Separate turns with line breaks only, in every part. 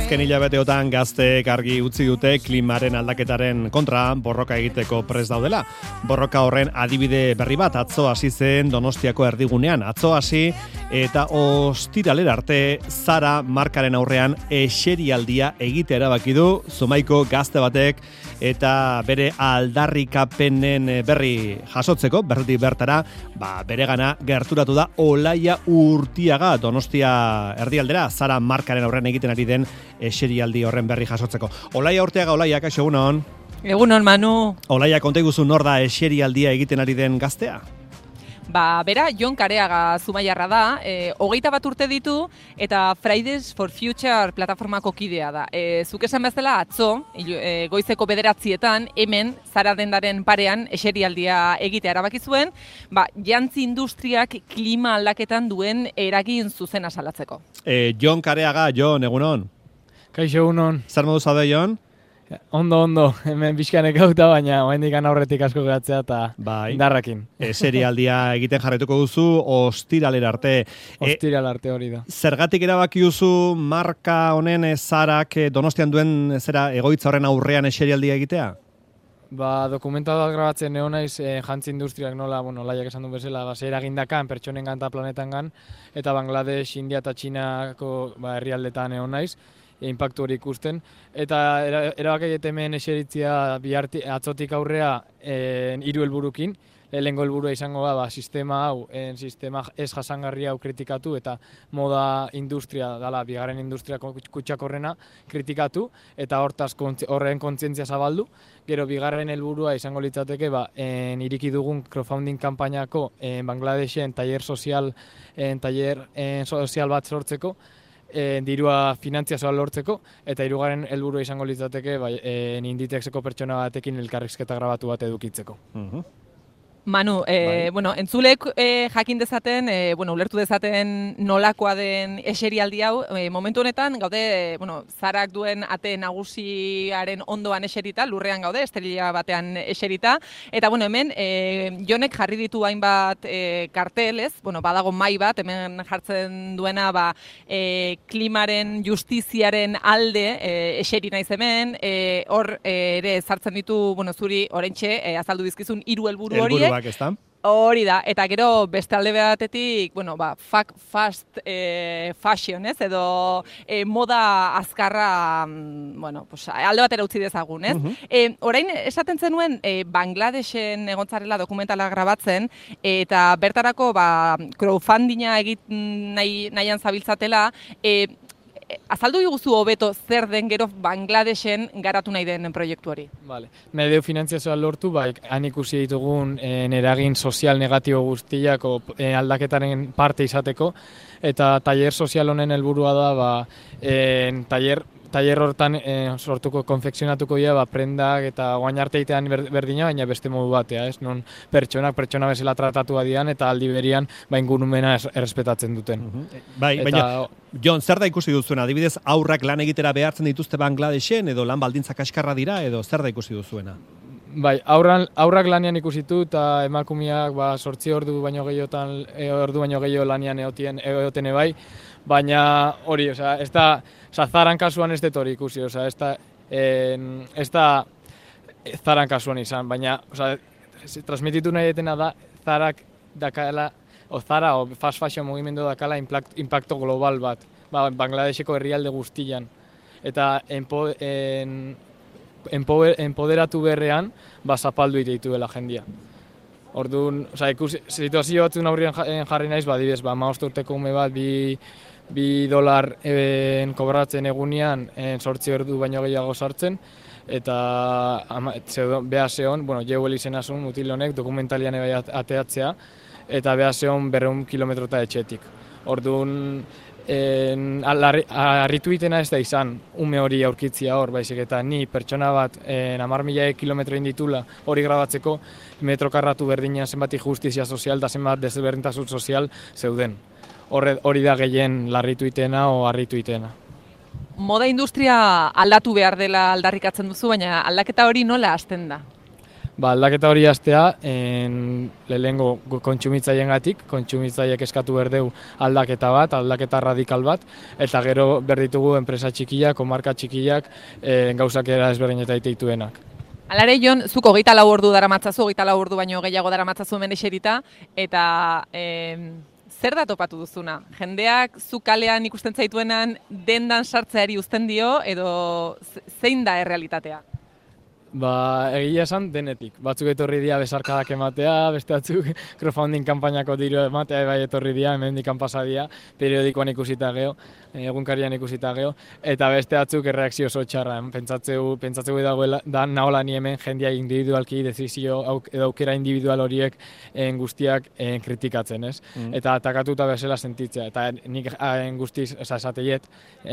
Azken hilabeteotan gazteek argi utzi dute klimaren aldaketaren kontra borroka egiteko prest daudela. Borroka horren adibide berri bat atzo hasi zen Donostiako erdigunean. Atzo hasi eta ostiralera arte Zara markaren aurrean eserialdia egitea erabaki du Zumaiko gazte batek eta bere aldarrikapenen berri jasotzeko, bertara, beregana gerturatu da Olaia Urtiaga Donostia erdialdera Zara markaren aurrean egiten ari den eserialdi horren berri jasotzeko. Olaia Urtiaga, Olaia, kaixo, egunon?
Egunon, Manu.
Olaia, konta iguzu nor da eserialdia egiten ari den gaztea?
Bera, Jon Kareaga Zumaiarra da, 21 urte ditu eta Fridays for Future plataformako kidea da. Zuk esan bezala atzo, goizeko 9:00 hemen Zara dendaren parean eserialdia egitea erabaki zuen, jantzi industriak klima aldaketan duen eragin zuzena salatzeko.
Jon Kareaga, Jon, egunon?
Kaixo, egunon.
Zer modu zaude, Jon?
Ondo, hemen bizkanek gauta, baina oendik aurretik asko geratzea eta indarrakin.
Serialdia egiten jarretuko duzu, ostiralera arte.
Ostiralera arte hori da.
Zergatik erabaki duzu marka honen Zarak Donostian duen egoitza horren aurrean eserialdia egitea?
Dokumentatu bat grabatzen egon naiz jantzi industriak nola, laiak esan du bezala, zer egindakan, pertsonengan eta planetangan, eta Bangladesh, India eta Txinako herrialdetan egon naiz. Inpaktu hori ikusten, eta erabakaiet hemen eseritzia atzotik aurrea 3 helburukin. Lehenengo helburua izango da, sistema hau, sistema ez jasangarria hau kritikatu, eta moda industria, bigarren industria kutsakorrena kritikatu, eta horren kontzientzia zabaldu. Gero bigarren helburua izango litzateke, iriki dugun crowdfunding kanpainako Bangladeshen taller sozial bat sortzeko, dirua finantzazioa lortzeko, eta 3. helburua izango litzateke Inditexeko pertsona batekin elkarrizketa grabatu bat edukitzeko.
Manu, entzulek jakin dezaten, ulertu dezaten nolakoa den eserialdi hau, momentu honetan gaude, Zarak duen ate nagusiaren ondoan eserita, lurrean gaude, esterila batean eserita, eta hemen Jonek jarri ditu hainbat kartel, ez? Badago mai bat, hemen jartzen duena klimaren justiziaren alde eseri naiz hemen, hor ere sartzen ditu, zuri oraintxe azaldu dizkizun 3 helburu horiek. Hori da, eta gero beste alde batetik, fast fashion, ez? Edo moda azkarra, alde batera utzi dezagun, ez? Orain, esaten zenuen, Bangladeshen egontzarela dokumentala grabatzen, eta bertarako crowdfundinga egin nahian zabiltzatela, azaldu diguzu hobeto zer den gero Bangladeshen garatu nahi den proiektu hori.
Nahi dugu finanziazioa lortu, han ikusi ditugun eragin sozial negatibo guztiak aldaketaren parte izateko, eta taller sozial honen helburua da, taller hortan sortuko, konfekzionatuko dira, prendak eta guain arte egitean berdina, baina beste modu batea, ez? Non pertsona bezala tratatu adian eta aldi berian ingurumena errespetatzen duten.
Baina, Jon, zer da ikusi duzuena? Adibidez, aurrak lan egitera behartzen dituzte Bangladeshen, edo lan baldintza kaskarra dira, edo zer da ikusi duzuena?
Aurrak lanean ikusitu eta emakumeak 8 ordu baino gehiago lanean egoten ebai, baina hori, ez da, Zaran kasuan ez dut hori ikusi, ez da Zaran kasuan izan, baina transmititu nahi detena da Zarak dakala, Zara o fast fashion mugimendu dakala impacto global bat, Bangladeseko herrialde guztian, eta empoderatu berrean zapaldu ite dela jendia. Orduan, situazio batzun aurrean jarri naiz, adibidez, 15 urteko ume bat, $2 kobratzen egunean 8 ordu baino gehiago sartzen, eta beha zehon, Jewel izena zuen mutil honek dokumentalian ateatzea, eta beha zehon 200 kilometrota etxetik. Orduan, harritu itena ez da izan ume hori aurkitzia hor, baizik eta ni pertsona bat 10.000 kilometro inditula hori grabatzeko metro karratu berdinean zenbat injustizia sozial da zenbat desberdintasun sozial zeuden. Hori da gehien larritu itena o harritu itena.
Moda industria aldatu behar dela aldarrikatzen duzu, baina aldaketa hori nola hasten da?
Ba, aldaketa hori hastea, lehenengo kontsumitzaiengatik, kontsumitzaiek eskatu berdeu aldaketa radikal bat, eta gero berditugu enpresa txikiak, marka txikiak, gauzak era ezberdineta ditituenak.
Alare, Jon, zuk 24 ordu daramatzazu, 24 ordu baino gehiago daramatzazu hemen eserita, eta zer da topatu duzuna? Jendeak zu kalean ikusten zaituenan dendan sartzeari uzten dio, edo zein da errealitatea?
Ba, egia esan denetik. Batzuk etorri dira besarkadak ematea, beste batzuk crowdfunding kanpainako diru ematea bai etorri dira, hemendikan pasa dira, periodikoan ikusita geho, egunkarian ikusita geho, eta beste batzuk erreakzio oso txarra. Pentsatzeu dagoela, da nahola ni hemen jendia individualki, dezizio edo aukera individual horiek guztiak kritikatzen, ez? Eta atakatuta bezala sentitzea, eta nik guztiz esateiet,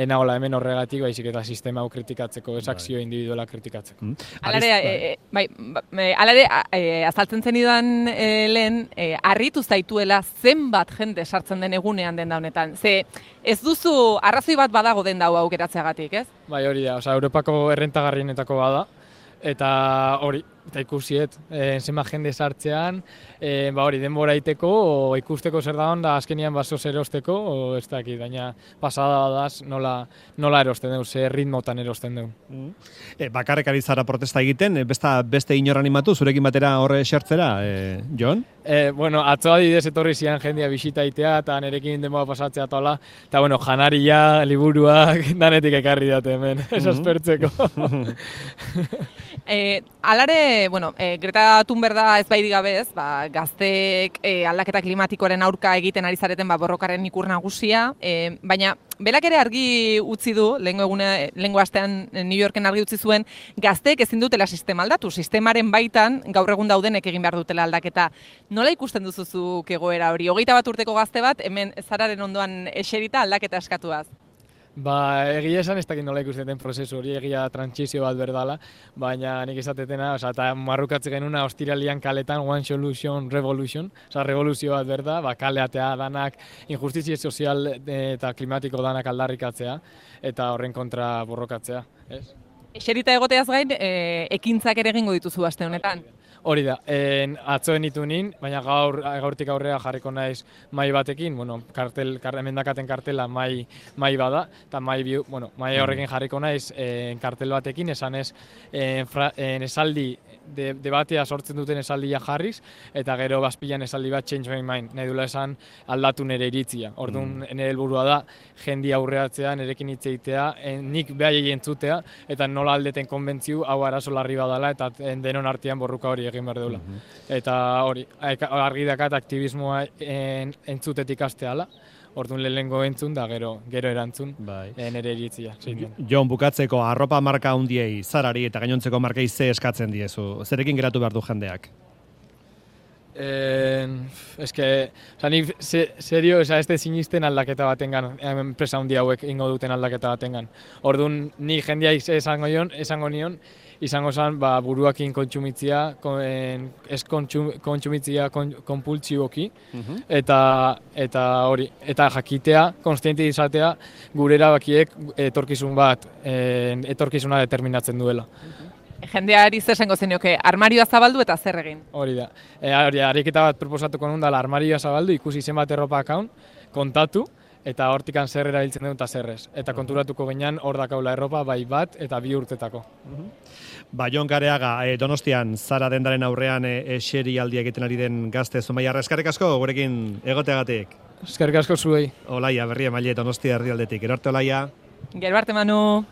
nahola hemen horregatik, baizik eta sistema hau kritikatzeko, ez akzio individuala kritikatzeko.
Alare, azaltzen zenidan lehen, harritu zaituela zenbat jende sartzen den egunean denda honetan. Ze ez duzu arrazoi bat badago denda hau aukeratzeagatik, ez?
Bai, hori da, Europako errentagarrienetako bada, eta hori, eta ikusiet, zenbat jende sartzean, hori denbora iteko, o ikusteko zer da onda, azkenian basoz erosteko, o ez dakit, baina pasada daz nola erosten dugu, ze ritmotan erosten dugu.
Bakarrik ari zara protesta egiten, beste inor animatu, zurekin batera horre esertzera, Jon?
Bueno, atzo adibidez etorri zian jendia bisitaitea, eta nerekin denbora pasatzea tola, eta bueno, janaria, liburuak, danetik ekarri date hemen, esaspertzeko.
Alare, bueno, Greta Thunberg da ez baidi gabe ez, gazteek aldaketa klimatikoaren aurka egiten ari zareten borrokaren ikur nagusia, baina belak ere argi utzi du, lehengo astean New Yorken argi utzi zuen, gazteek ezin dutela sistema aldatu, sistemaren baitan gaur egun daudenek egin behar dutela aldaketa. Nola ikusten duzuzuk egoera hori? 21 urteko gazte bat, hemen zararen ondoan eserita aldaketa eskatuaz.
Ba, egia esan ez dakit nola ikusten den prozesu hori, egia trantsizio bat berdala, baina nik esatetena, eta marrukatzen genuna ostiralian kaletan One Solution Revolution, revoluzio bat berda, kaleatea danak, injustizia sozial eta klimatiko danak aldarrikatzea, eta horren kontra borrokatzea, ez?
Eserita egoteaz gain, ekintzak ere egingo dituzu aste honetan?
Hori da, atzoen ditu nin, baina gaurtik aurrera jarriko naiz mai batekin, bueno, emendakaten kartela mai bada, eta mai horrekin jarriko naiz kartel batekin, esan ez esaldi, debatea sortzen duten esaldia jarriz, eta gero bazpilan esaldi bat change my mind, nahi dula esan aldatu nire iritzia. Orduan, nire helburua da, jendia aurreatzea, nirekin hitz egitea, nik behai entzutea, eta nola aldeten konbentziu, hau arazo larri badala, eta denon artean borruka hori egin behar deula. Eta hori, argi dakat aktivismoa entzutetik asteala, orduan lehengo entzun da gero erantzun nire iritzia.
Jon, bukatzeko arropa marka hundiei, Zarari eta gainontzeko markei ze eskatzen diezu? Zerekin geratu behar du jendeak?
Nik serio, ez da sinisten aldaketa batengan, enpresa hundi hauek ingo duten aldaketa batengan. Orduan, ni jendea esango nion, izango zen buruakin kontsumitzia, ez kontsumitzia konpultsiboki, eta hori, eta jakitea, konstiente izatea, gure erabakiek etorkizuna determinatzen duela.
Jendeari zer esango zenioke, armarioa zabaldu eta zer egin?
Hori da, ariketa bat proposatuko nun dela armarioa zabaldu, ikusi zenbat erropa akaun, kontatu, eta hortikan zer erabiltzen dut eta zerrez. Eta konturatuko ginean hor dakaula erropa bai bat eta 2 urtetako.
Jon Kareaga, Donostian, Zara dendaren aurrean eserialdia egiten ari den gazte Zumaiarra, eskerrik asko gurekin egoteagatik.
Eskerrik asko zuei.
Olaia, Berria Maile, Donostia herrialdetik. Gero arte, Olaia.
Gero arte, Manu.